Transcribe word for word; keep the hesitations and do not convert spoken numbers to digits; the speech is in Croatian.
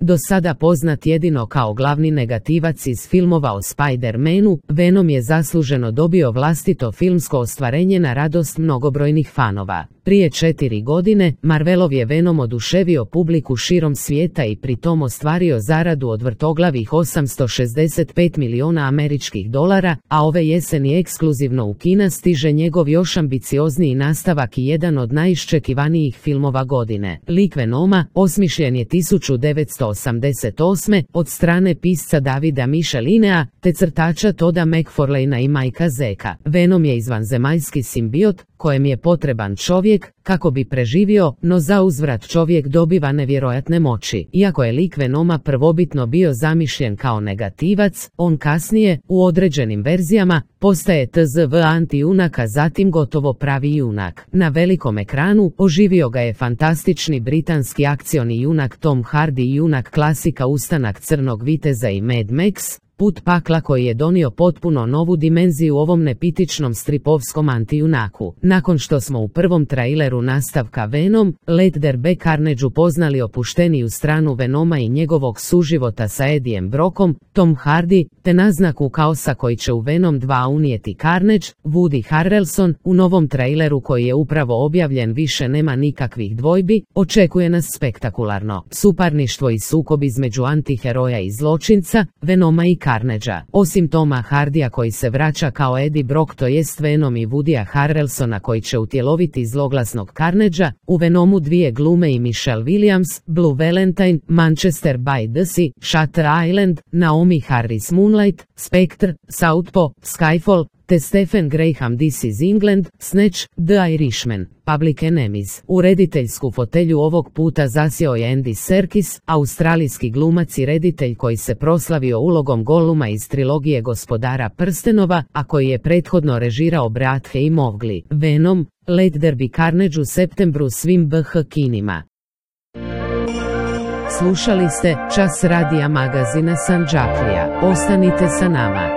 Do sada poznat jedino kao glavni negativac iz filmova o Spider-Manu, Venom je zasluženo dobio vlastito filmsko ostvarenje na radost mnogobrojnih fanova. Prije četiri godine, Marvelov je Venom oduševio publiku širom svijeta i pritom ostvario zaradu od vrtoglavih osamsto šezdeset pet miliona američkih dolara, a ove jeseni ekskluzivno u kina stiže njegov još ambiciozniji nastavak i jedan od najiščekivanijih filmova godine. Lik Venoma osmišljen je tisuću devetsto osamdeset osme. od strane pisca Davida Michelinea, te crtača Toda McFarlanea i Mikea Zeka. Venom je izvanzemaljski simbiot, kojem je potreban čovjek kako bi preživio, no za uzvrat čovjek dobiva nevjerojatne moći. Iako je lik Venoma prvobitno bio zamišljen kao negativac, on kasnije, u određenim verzijama, postaje tzv anti-junak, a zatim gotovo pravi junak. Na velikom ekranu oživio ga je fantastični britanski akcioni junak Tom Hardy i junak klasika Ustanak crnog viteza i Mad Max, Put pakla, koji je donio potpuno novu dimenziju ovom nepitičnom stripovskom antijunaku. Nakon što smo u prvom traileru nastavka Venom, Let There Be Carnage upoznali opušteniju stranu Venoma i njegovog suživota sa Eddiem Brockom, Tom Hardy, te naznaku kaosa koji će u Venom dva unijeti Carnage, Woody Harrelson, u novom traileru koji je upravo objavljen više nema nikakvih dvojbi, očekuje nas spektakularno suparništvo i sukob između antiheroja i zločinca, Venoma i Carnagea. Osim Toma Hardija koji se vraća kao Eddie Brock, to jest Venom, i Woodya Harrelsona koji će utjeloviti zloglasnog Carnagea, u Venomu dvije glume i Michelle Williams, Blue Valentine, Manchester by the Sea, Shutter Island, Naomi Harris Moonlight, Spectre, Southpaw, Skyfall, te Stephen Graham This is England, Snatch, The Irishman, Public Enemies. U rediteljsku fotelju ovog puta zasjeo je Andy Serkis, australijski glumac i reditelj koji se proslavio ulogom Goluma iz trilogije Gospodara prstenova, a koji je prethodno režirao Brathe i Mowgli. Venom, Let There Be Carnage u septembru svim B H kinima. Slušali ste Čas radija magazina Sandžaklija. Ostanite sa nama.